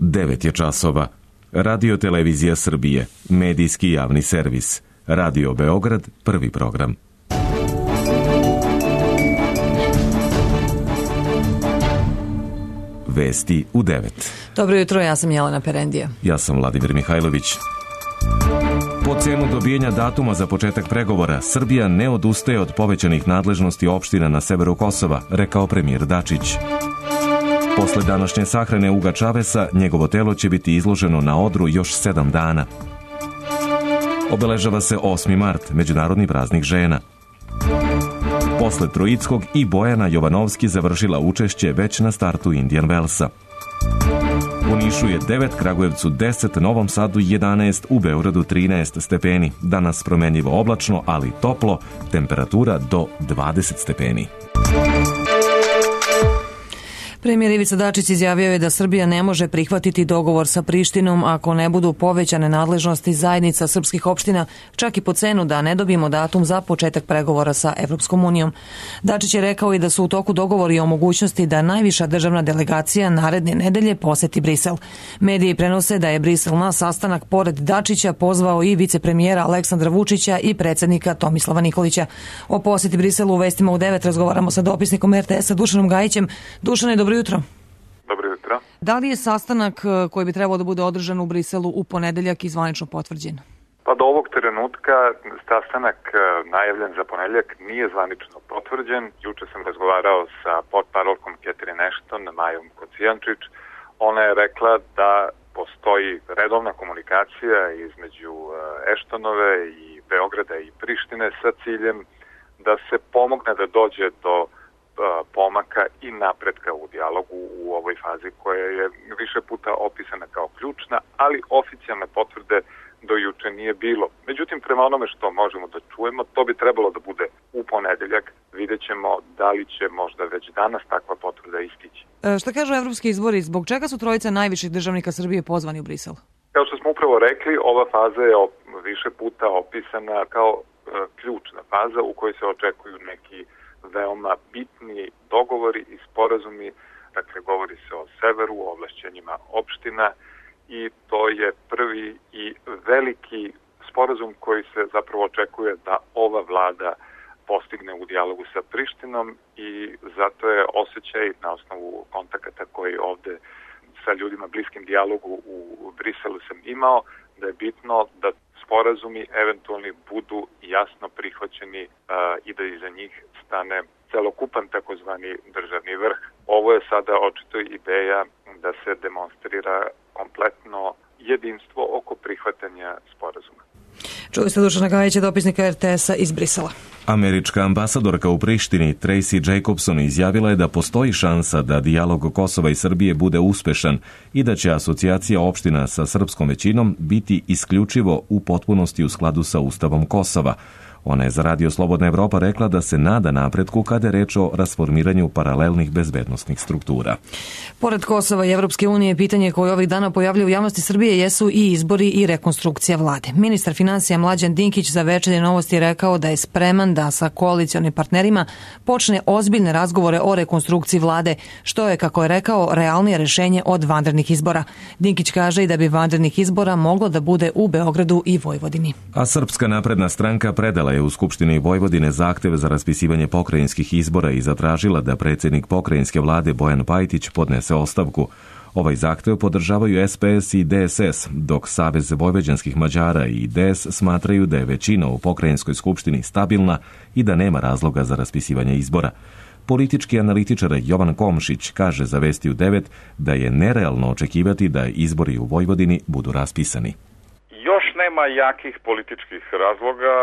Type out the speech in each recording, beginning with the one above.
9 je časova. Radio Televizija Srbije, medijski javni servis. Radio Beograd, prvi program. Vesti u 9. Dobro jutro, ja sam Jelena Perendija. Ja sam Vladimir Mihajlović. Po cenu dobijenja datuma za početak pregovora, Srbija ne odustaje od povećanih nadležnosti opština na severu Kosova, rekao premijer Dačić. Posle današnje sahrane Uga Čavesa, njegovo telo će biti izloženo na odru još 7 dana. Obeležava se 8. mart, Međunarodni praznik žena. Posle Troickog i Bojana Jovanovski završila učešće već na startu Indian Wellsa. U Nišu je 9, Kragujevcu 10, Novom Sadu 11, u Beogradu 13 stepeni. Danas promenljivo oblačno, ali toplo, temperatura do 20 stepeni. Premijer Ivica Dačić izjavio je da Srbija ne može prihvatiti dogovor sa Prištinom ako ne budu povećane nadležnosti zajednica srpskih opština, čak i po cenu da ne dobijemo datum za početak pregovora sa Evropskom unijom. Dačić je rekao i da su u toku dogovori o mogućnosti da najviša državna delegacija naredne nedelje poseti Brisel. Mediji prenose da je Brisel na sastanak pored Dačića pozvao i vicepremijera Aleksandra Vučića i predsednika Tomislava Nikolića. O poseti Briselu u vestima u 9 razgovaramo sa dopisnikom RTS-a Dušanom Gajićem. Dušane, dobro jutro. Dobro jutro. Da li je sastanak koji bi trebao da bude održan u Briselu u ponedeljak i zvanično potvrđen? Pa do ovog trenutka sastanak najavljen za ponedeljak nije zvanično potvrđen. Juče sam razgovarao sa portparolkom Catherine Ashton, Majom Kocijančić. Ona je rekla da postoji redovna komunikacija između Ashtonove i Beograda i Prištine sa ciljem da se pomogne da dođe do pomaka i napretka u dijalogu u ovoj fazi koja je više puta opisana kao ključna, ali oficijalne potvrde do juče nije bilo. Međutim, prema onome što možemo da čujemo, to bi trebalo da bude u ponedeljak. Vidjet ćemo da li će možda već danas takva potvrda istići. Šta kažu evropski izbori? Zbog čega su trojica najviših državnika Srbije pozvani u Brisel? Kao što smo upravo rekli, ova faza je više puta opisana kao ključna faza u kojoj se očekuju neki veoma bitni dogovori i sporazumi, dakle govori se o severu, o ovlašćenjima opština i to je prvi i veliki sporazum koji se zapravo očekuje da ova vlada postigne u dijalogu sa Prištinom i zato je osjećaj na osnovu kontakata koji ovde sa ljudima bliskim dijalogu u Briselu sam imao, da je bitno da sporazumi eventualni budu jasno prihvaćeni i da iza njih stane celokupan takozvani državni vrh. Ovo je sada očito ideja da se demonstrira kompletno jedinstvo oko prihvatanja sporazuma. Čuli ste Dušana Gajića, dopisnika RTS-a iz Brisela. Američka ambasadorka u Prištini Tracy Jacobson izjavila je da postoji šansa da dijalog Kosova i Srbije bude uspešan i da će asocijacija opština sa srpskom većinom biti isključivo u potpunosti u skladu sa Ustavom Kosova. Ona je za Radio Slobodna Evropa rekla da se nada napretku kada je reč o rasformiranju paralelnih bezbednosnih struktura. Pored Kosova i Evropske unije, pitanje koje ovih dana pojavljaju u javnosti Srbije jesu i izbori i rekonstrukcija vlade. Ministar finansija Mlađan Dinkić za Večernje novosti rekao da je spreman da sa koalicionim partnerima počne ozbiljne razgovore o rekonstrukciji vlade, što je, kako je rekao, realnije rešenje od vanrednih izbora. Dinkić kaže i da bi vanrednih izbora moglo da bude u Beogradu i Vojvodini. A Srpska napredna stranka predala je u Skupštini Vojvodine zahtev za raspisivanje pokrajinskih izbora i zatražila da predsjednik pokrajinske vlade Bojan Pajtić podnese ostavku. Ovaj zahtev podržavaju SPS i DSS, dok Savez vojvođanskih Mađara i DS smatraju da je većina u pokrajinskoj skupštini stabilna i da nema razloga za raspisivanje izbora. Politički analitičar Jovan Komšić kaže za Vesti u 9 da je nerealno očekivati da izbori u Vojvodini budu raspisani. Još nema jakih političkih razloga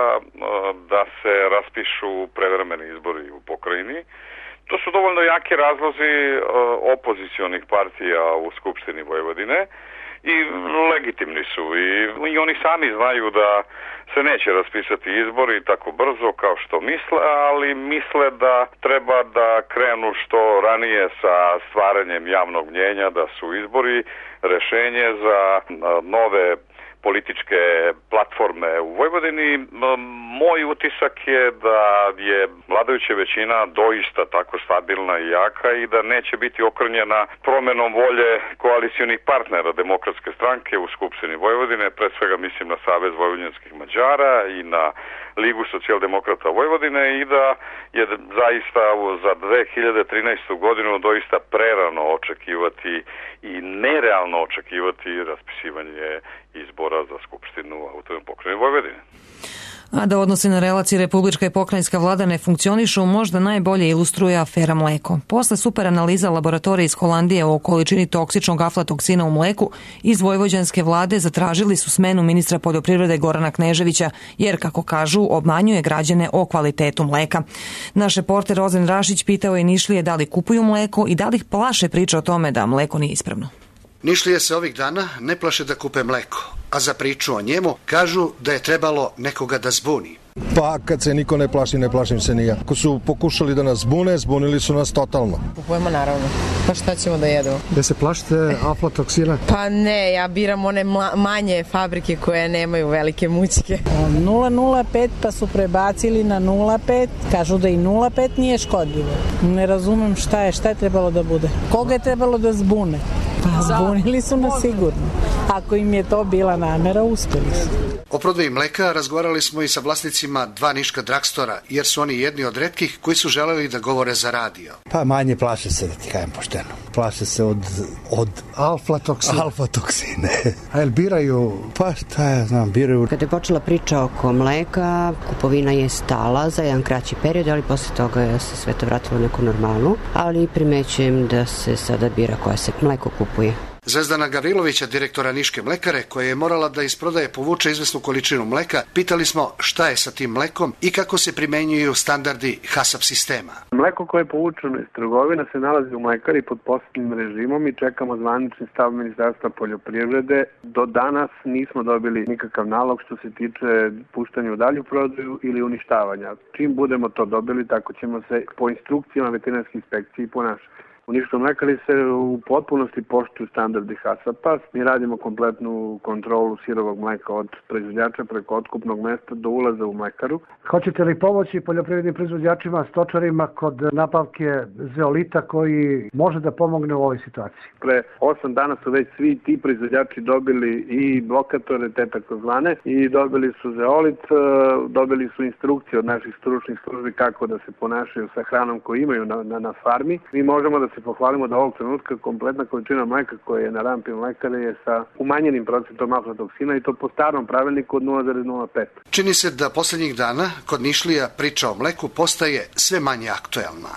da se raspišu prevremeni izbori u pokrajini. To su dovoljno jaki razlozi opozicionih partija u Skupštini Vojvodine i legitimni su i oni sami znaju da se neće raspisati izbori tako brzo kao što misle, ali misle da treba da krenu što ranije sa stvaranjem javnog mnjenja, da su izbori rešenje za nove političke platforme u Vojvodini. Moj utisak je da je vladajuća većina doista tako stabilna i jaka i da neće biti okrnjena promenom volje koalicionih partnera Demokratske stranke u Skupštini Vojvodine, pre svega mislim na Savez vojvođanskih Mađara i na Ligu socijaldemokrata Vojvodine i da je zaista za 2013. godinu doista prerano očekivati i nerealno očekivati raspisivanje izbora za Skupštinu autonomne pokrajine Vojvodine. A da odnosi na relacije republička i pokrajinska vlada ne funkcionišu, možda najbolje ilustruje afera mleko. Posle super analiza laboratorije iz Holandije o količini toksičnog aflatoksina u mleku, iz vojvođanske vlade zatražili su smenu ministra poljoprivrede Gorana Kneževića, jer, kako kažu, obmanjuje građane o kvalitetu mleka. Naš reporter Rozen Rašić pitao je Nišlije da li kupuju mleko i da li ih plaše priča o tome da mleko nije ispravno. Nišlije se ovih dana ne plaše da kupe mleko, a za priču o njemu kažu da je trebalo nekoga da zbuni. Pa kad se niko ne plaši, ne plašim se ni ja. Ako su pokušali da nas zbune, zbunili su nas totalno. Kupujemo naravno. Pa šta ćemo da jedemo? Da se plašite aflatoksina? Pa ne, ja biram one manje fabrike koje nemaju velike mućke. 0,05 pa su prebacili na 0,5. Kažu da i 0,5 nije škodljivo. Ne razumem šta je trebalo da bude. Koga je trebalo da zbune? Pa zbunili su nas sigurno. Ako im je to bila namera, uspeli su. O prodaji mleka razgovarali smo i sa vlasnicima dva niška dragstora, jer su oni jedni od retkih koji su želeli da govore za radio. Pa manje plaše se, da ti kajem pošteno. Plaše se od alfatoksine. A jel biraju? Pa šta ja znam, biraju. Kada je počela priča oko mleka, kupovina je stala za jedan kraći period, ali posle toga se sve to vratilo neku normalnu, ali primećujem da se sada bira koja se mleko kupuje. Zvezdana Gavrilovića, direktora Niške mlekare, koja je morala da iz prodaje povuče izvesnu količinu mleka, pitali smo šta je sa tim mlekom i kako se primenjuju standardi HACCP sistema. Mleko koje je povučeno iz trgovina se nalazi u mlekari pod posebnim režimom i čekamo zvanični stav Ministarstva poljoprivrede. Do danas nismo dobili nikakav nalog što se tiče puštanja u dalju prodaju ili uništavanja. Čim budemo to dobili, tako ćemo se po instrukcijama veterinarske inspekcije ponašati. U Niškoj mlekari se u potpunosti poštuju standardi HACCP-a. Mi radimo kompletnu kontrolu sirovog mleka od proizvođača preko otkupnog mesta do ulaza u mlekaru. Hoćete li pomoći poljoprivrednim proizvođačima, stočarima kod nabavke zeolita koji može da pomogne u ovoj situaciji? Pre 8 dana su već svi ti proizvođači dobili i blokatore, te takozvane, i dobili su zeolit, dobili su instrukcije od naših stručnih službi kako da se ponašaju sa hranom koju imaju na farmi. Mi možemo da se pohvalimo da ovog trenutka kompletna količina mleka koja je na rampi mlekare je sa umanjenim procentom aflatoksina i to po starom pravilniku od 0,05. Čini se da poslednjih dana kod Nišlija priča o mleku postaje sve manje aktuelna.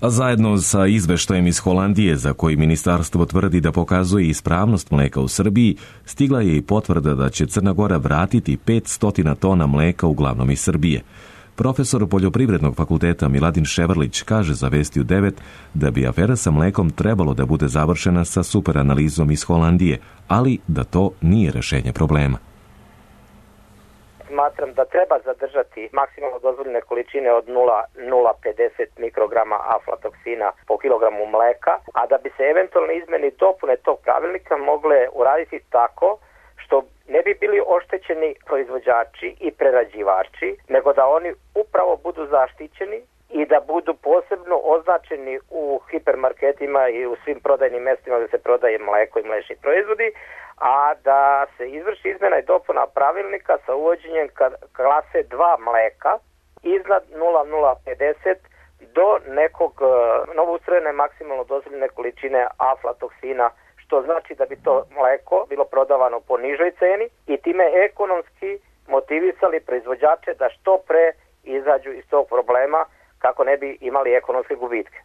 A zajedno sa izveštajem iz Holandije, za koji ministarstvo tvrdi da pokazuje ispravnost mleka u Srbiji, stigla je i potvrda da će Crna Gora vratiti 500 tona mleka uglavnom iz Srbije. Profesor Poljoprivrednog fakulteta Miladin Ševrlić kaže za Vesti u 9 da bi afera sa mlekom trebalo da bude završena sa superanalizom iz Holandije, ali da to nije rešenje problema. Smatram da treba zadržati maksimalno dozvoljene količine od 0,050 mikrograma aflatoksina po kilogramu mleka, a da bi se eventualne izmene i dopune tog pravilnika mogle uraditi tako što ne bi bili oštećeni proizvođači i prerađivači, nego da oni upravo budu zaštićeni i da budu posebno označeni u hipermarketima i u svim prodajnim mestima gde se prodaje mleko i mlečni proizvodi, a da se izvrši izmena i dopuna pravilnika sa uvođenjem klase 2 mleka iznad 0,050 do nekog novoustrojene maksimalno dozvoljene količine aflatoksina, što znači da bi to mleko bilo prodavano po nižoj ceni i time ekonomski motivisali proizvođače da što pre izađu iz tog problema kako ne bi imali ekonomske gubitke.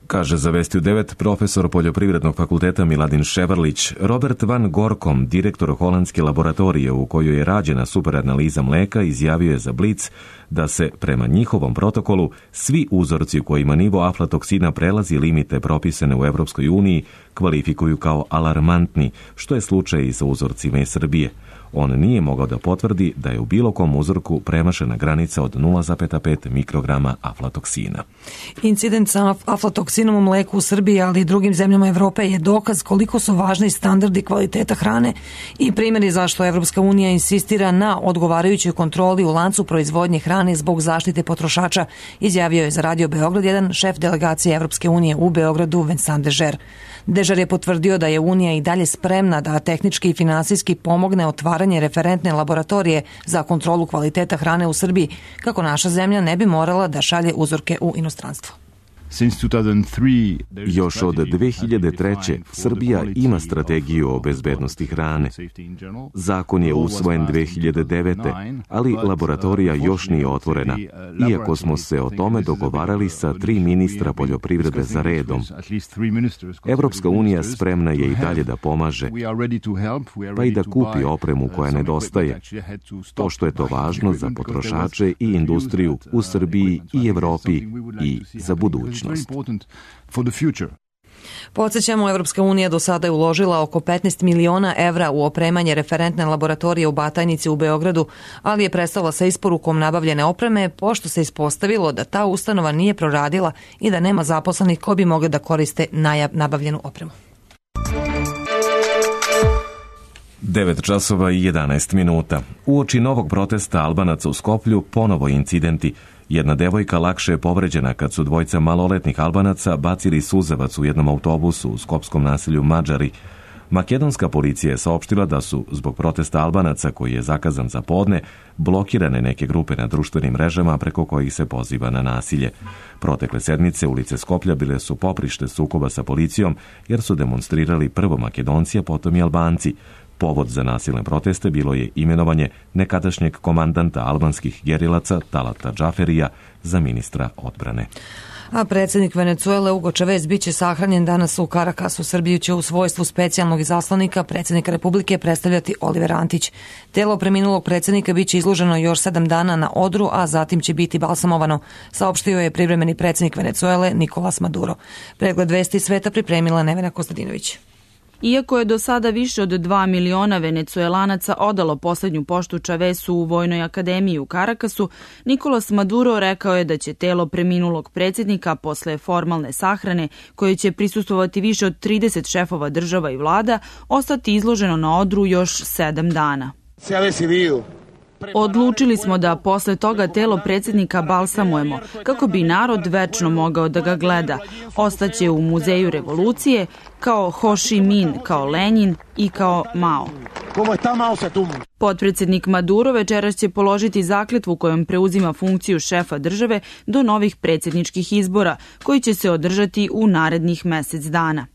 Kaže za Vesti u 9 profesor Poljoprivrednog fakulteta Miladin Ševrlić. Robert Van Gorkom, direktor holandske laboratorije u kojoj je rađena superanaliza mleka, izjavio je za Blic da se, prema njihovom protokolu, svi uzorci u kojima nivo aflatoksina prelazi limite propisane u Evropskoj uniji kvalifikuju kao alarmantni, što je slučaj i sa uzorcima iz Srbije. on nije mogao da potvrdi da je u bilo kom uzorku premašena granica od 0,5 mikrograma aflatoksina. Incident sa aflatoksinom u mleku u Srbiji, ali i drugim zemljama Evrope je dokaz koliko su važni standardi kvaliteta hrane i primjeri zašto Evropska unija insistira na odgovarajućoj kontroli u lancu proizvodnje hrane zbog zaštite potrošača, izjavio je za Radio Beograd 1 šef delegacije Evropske unije u Beogradu Vincent Dežer. Dežer je potvrdio da je Unija i dalje spremna da tehnički i finansijski pomogne otvaranje referentne laboratorije za kontrolu kvaliteta hrane u Srbiji, kako naša zemlja ne bi morala da šalje uzorke u inostranstvo. Još od 2003. Srbija ima strategiju o bezbednosti hrane. Zakon je usvojen 2009. ali laboratorija još nije otvorena, iako smo se o tome dogovarali sa 3 ministra poljoprivrede za redom. Evropska unija spremna je i dalje da pomaže, pa i da kupi opremu koja nedostaje, pošto je to važno za potrošače i industriju u Srbiji i Evropi i za budućnost. Podsjećamo, Evropska unija do sada je uložila oko 15 miliona evra u opremanje referentne laboratorije u Batajnici u Beogradu, ali je prestala sa isporukom nabavljene opreme, pošto se ispostavilo da ta ustanova nije proradila i da nema zaposlenih koji bi mogli da koriste nabavljenu opremu. 9 časova i 11 minuta. Uoči novog protesta Albanaca u Skoplju ponovo incidenti. Jedna devojka lakše je povređena kad su dvojica maloletnih Albanaca bacili suzavac u jednom autobusu u skopskom naselju Mađari. Makedonska policija je saopštila da su, zbog protesta Albanaca koji je zakazan za podne, blokirane neke grupe na društvenim mrežama preko kojih se poziva na nasilje. Protekle sedmice ulice Skoplja bile su poprište sukoba sa policijom jer su demonstrirali prvo Makedonci, a potom i Albanci. Povod za nasilne proteste bilo je imenovanje nekadašnjeg komandanta albanskih gerilaca Talata Džaferija za ministra odbrane. A predsjednik Venecuele Hugo Chavez biće sahranjen danas u Karakasu. Srbiju će u svojstvu specijalnog izaslanika predsjednika Republike predstavljati Oliver Antić. Telo preminulog predsjednika biće izloženo još 7 dana na odru, a zatim će biti balsamovano, saopštio je privremeni predsjednik Venecuele Nicolas Maduro. Pregled vesti sveta pripremila Nevena Kostadinović. Iako je do sada više od 2 miliona Venecuelanaca odalo poslednju poštu Chavezu u Vojnoj akademiji u Karakasu, Nicolas Maduro rekao je da će telo preminulog predsjednika posle formalne sahrane, koje će prisustvovati više od 30 šefova država i vlada, ostati izloženo na odru još 7 dana. Odlučili smo da posle toga telo predsjednika balsamujemo, kako bi narod večno mogao da ga gleda. Ostaće u Muzeju revolucije, kao Ho Chi Minh, kao Lenin i kao Mao. Potpredsjednik Maduro večeras će položiti zakletvu kojom preuzima funkciju šefa države do novih predsjedničkih izbora, koji će se održati u narednih mesec dana.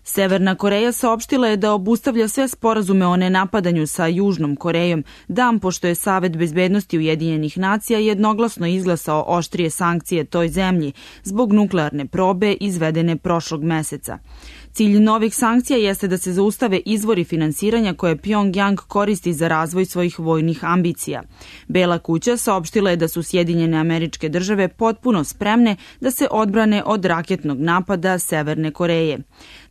Severna Koreja saopštila je da obustavlja sve sporazume o nenapadanju sa Južnom Korejom, dan pošto je Savet bezbednosti Ujedinjenih nacija jednoglasno izglasao oštrije sankcije toj zemlji zbog nuklearne probe izvedene prošlog meseca. Cilj novih sankcija jeste da se zaustave izvori finansiranja koje Pyongyang koristi za razvoj svojih vojnih ambicija. Bela kuća saopštila je da su Sjedinjene Američke Države potpuno spremne da se odbrane od raketnog napada Severne Koreje.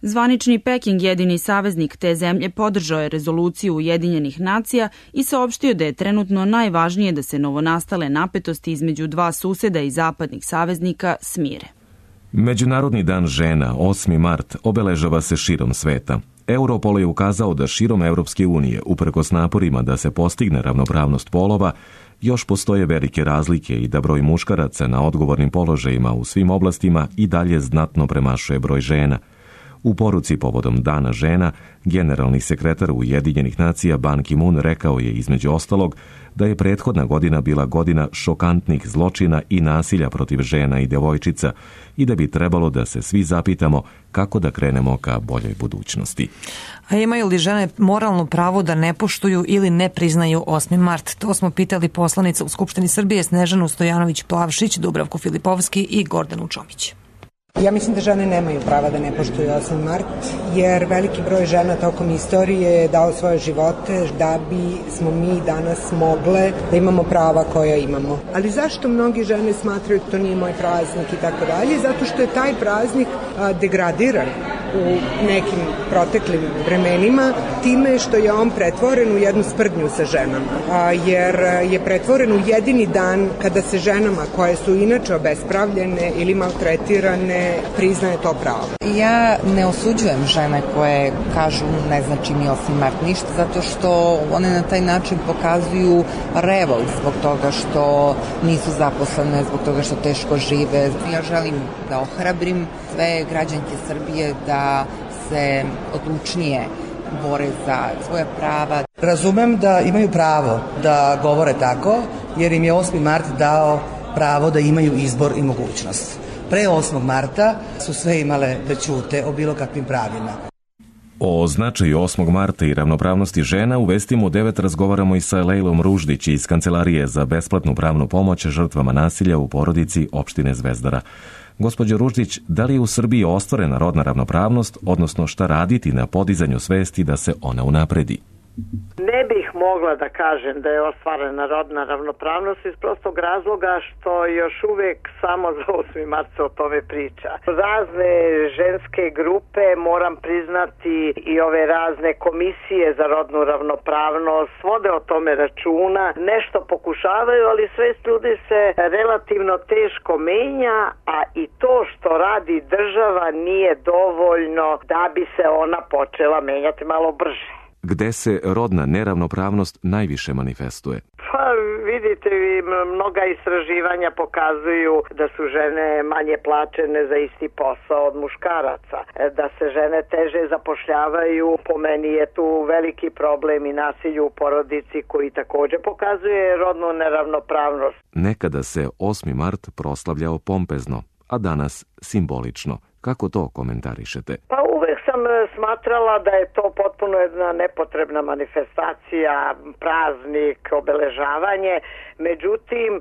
Zvanični Peking, jedini saveznik te zemlje, podržao je rezoluciju Ujedinjenih nacija i saopštio da je trenutno najvažnije da se novonastale napetosti između dva suseda i zapadnih saveznika smire. Međunarodni dan žena, 8. mart, obeležava se širom sveta. Europol je ukazao da širom Evropske unije, uprkos naporima da se postigne ravnopravnost polova, još postoje velike razlike i da broj muškaraca na odgovornim položajima u svim oblastima i dalje znatno premašuje broj žena. U poruci povodom Dana žena, generalni sekretar Ujedinjenih nacija Ban Ki-moon rekao je između ostalog da je prethodna godina bila godina šokantnih zločina i nasilja protiv žena i devojčica i da bi trebalo da se svi zapitamo kako da krenemo ka boljoj budućnosti. A imaju li žene moralno pravo da ne poštuju ili ne priznaju 8. mart? To smo pitali poslanica u Skupštini Srbije Snežanu Stojanović-Plavšić, Dubravku Filipovski i Gordanu Čomić. Ja mislim da žene nemaju prava da ne poštuju 8. mart, jer veliki broj žena tokom istorije je dao svoje živote da bi smo mi danas mogle da imamo prava koja imamo. Ali zašto mnogi žene smatraju da to nije moj praznik i tako dalje? Zato što je taj praznik degradiran. u nekim proteklim vremenima time što je on pretvoren u jednu sprdnju sa ženama, jer je pretvoren u jedini dan kada se ženama koje su inače obespravljene ili maltretirane priznaje to pravo. Ja ne osuđujem žene koje kažu ne znači mi 8. mart ništa, zato što one na taj način pokazuju revolt zbog toga što nisu zaposlene, zbog toga što teško žive. Ja želim da ohrabrim sve građanke Srbije da se odlučnije bore za svoje prava. Razumem da imaju pravo da govore tako, jer im je 8. mart dao pravo da imaju izbor i mogućnost. Pre 8. marta su sve imale da ćute o bilo kakvim pravima. O značaju 8. marta i ravnopravnosti žena u Vestima u 9 razgovaramo i sa Lejlom Ruždić iz Kancelarije za besplatnu pravnu pomoć žrtvama nasilja u porodici opštine Zvezdara. Gospođo Ruždić, da li je u Srbiji ostvarena rodna ravnopravnost, odnosno šta raditi na podizanju svesti da se ona unapredi? Ne bih mogla da kažem da je ostvarena rodna ravnopravnost iz prostog razloga što još uvek samo za 8. mart se o tome priča. Razne ženske grupe, moram priznati i ove razne komisije za rodnu ravnopravnost, vode o tome računa, nešto pokušavaju, ali svest ljudi se relativno teško menja, a i to što radi država nije dovoljno da bi se ona počela menjati malo brže. Gde se rodna neravnopravnost najviše manifestuje? Pa vidite, mnoga istraživanja pokazuju da su žene manje plaćene za isti posao od muškaraca, da se žene teže zapošljavaju, po meni je tu veliki problem i nasilju u porodici koji također pokazuje rodnu neravnopravnost. Nekada se 8. mart proslavljao pompezno, a danas simbolično. Kako to komentarišete? Pa uvek sam smatrala da je to potpuno jedna nepotrebna manifestacija, praznik, obeležavanje. Međutim,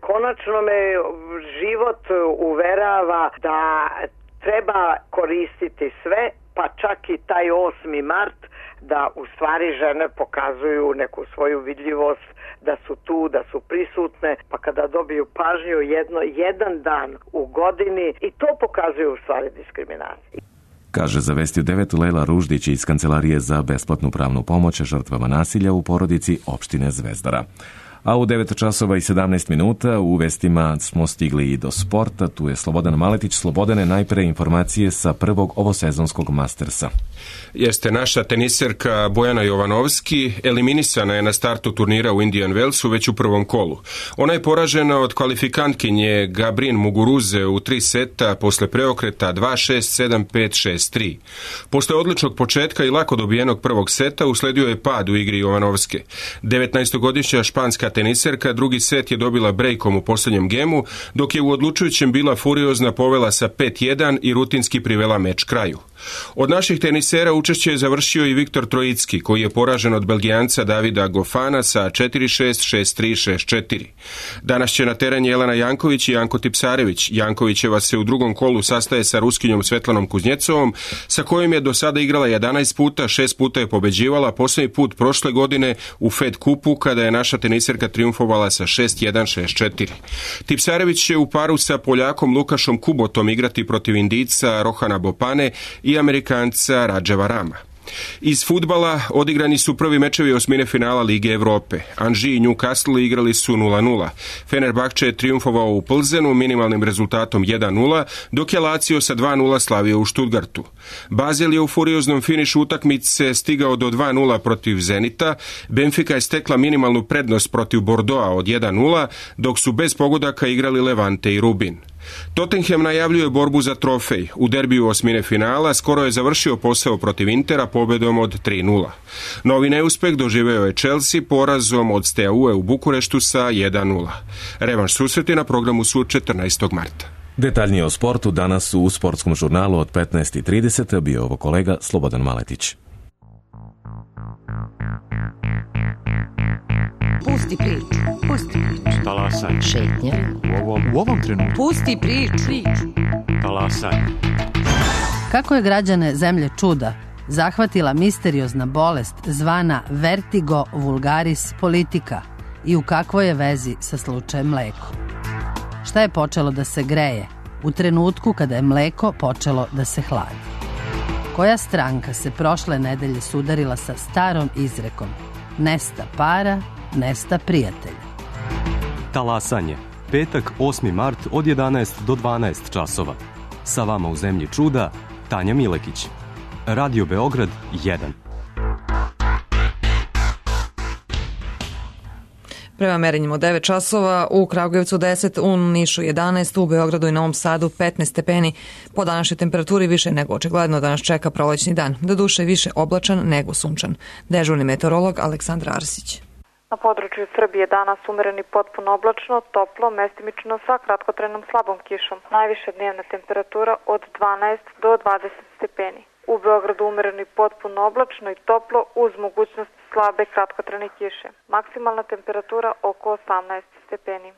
konačno me život uverava da treba koristiti sve, pa čak i taj 8. mart, da u stvari žene pokazuju neku svoju vidljivost, da su tu, da su prisutne, pa kada dobiju pažnju jedan dan u godini i to pokazuje u stvari diskriminaciju. Kaže za Vesti u 9 Lejla Ruždić iz Kancelarije za besplatnu pravnu pomoć žrtvama nasilja u porodici opštine Zvezdara. A u 9 časova i 17 minuta u Vestima smo stigli i do sporta. Tu je Slobodan Maletić. Slobodane, najpre informacije sa prvog ovosezonskog Mastersa. Jeste, naša teniserka Bojana Jovanovski eliminisana je na startu turnira u Indian Wellsu već u prvom kolu. Ona je poražena od kvalifikantkinje Gabrin Muguruze u 3 seta posle preokreta 2-6, 7-5, 6-3. Posle odličnog početka i lako dobijenog prvog seta usledio je pad u igri Jovanovske. 19-godišnja španska teniserka drugi set je dobila brejkom u posljednjem gemu, dok je u odlučujućem bila furiozna, povela sa 5-1 i rutinski privela meč kraju. Od naših tenisera učešće je završio i Viktor Trojicki, koji je poražen od Belgijanca Davida Gofana sa 4-6, 6-3, 6-4. Danas će na teren Jelena Janković i Janko Tipsarević. Jankovićeva se u drugom kolu sastaje sa Ruskinjom Svetlanom Kuznjecovom, sa kojom je do sada igrala 11 puta, 6 puta je pobeđivala, posljednji put prošle godine u Fed kupu, kada je naša teniserka triumfovala sa 6-1, 6-4. Tipsarević će u paru sa Poljakom Lukašom Kubotom igrati protiv Indijca Rohana Bopane i Amerikanca Radževa Rama. Iz fudbala odigrani su prvi mečevi osmine finala Lige Evrope. Anži i Newcastle igrali su 0-0. Fenerbahče je triumfovao u Plzenu minimalnim rezultatom 1-0, dok je Lazio sa 2-0 slavio u Stuttgartu. Basel je u furioznom finišu utakmice stigao do 2-0 protiv Zenita. Benfica je stekla minimalnu prednost protiv Bordeauxa od 1-0, dok su bez pogodaka igrali Levante i Rubin. Tottenham najavljuje borbu za trofej. U derbiju osmine finala skoro je završio posao protiv Intera pobedom od 3-0. Novi neuspeh doživeo je Chelsea porazom od Steaue u Bukureštu sa 1-0. Revanš susreti na programu su 14. marta. Detaljnije o sportu danas u Sportskom žurnalu od 15:30 bio ovo kolega Slobodan Maletić. Pusti priču. Pusti priču. Talasaj. Šetnja. U ovom trenutku. Pusti priču. Talasaj. Kako je građane zemlje čuda zahvatila misteriozna bolest zvana vertigo vulgaris politica i u kakvoj je vezi sa slučajem mleko? Šta je počelo da se greje u trenutku kada je mleko počelo da se hladi? Koja stranka se prošle nedelje sudarila sa starom izrekom nesta para, nesta prijatelja? Talasanje. Petak, 8. mart od 11 do 12 časova. Sa vama u zemlji čuda, Tanja Milekić. Radio Beograd 1. Prema merenjima 9 časova, u Kragujevcu 10, u Nišu 11, u Beogradu i Novom Sadu 15 stepeni. Po današnjoj temperaturi više nego očigledno da nas čeka prolećni dan. Doduše više oblačan nego sunčan. Dežurni meteorolog Aleksandra Arsić. Na području Srbije danas umereni potpuno oblačno, toplo, mestimično sa kratkotrajnom slabom kišom. Najviša dnevna temperatura od 12 do 20 stepeni. U Beogradu umereni potpuno oblačno i toplo uz mogućnost slabe kratkotrajne kiše. Maksimalna temperatura oko 18 stepeni.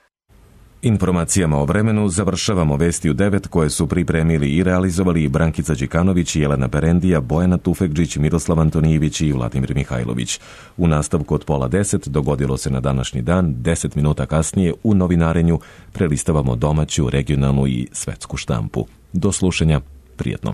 Informacijama o vremenu završavamo vesti u 9 koje su pripremili i realizovali Brankica Đikanović, Jelena Perendija, Bojana Tufekđić, Miroslav Antonijević i Vladimir Mihajlović. U nastavku od 9:30 dogodilo se na današnji dan, 10 minuta kasnije u novinarenju prelistavamo domaću, regionalnu i svetsku štampu. Do slušanja, prijetno.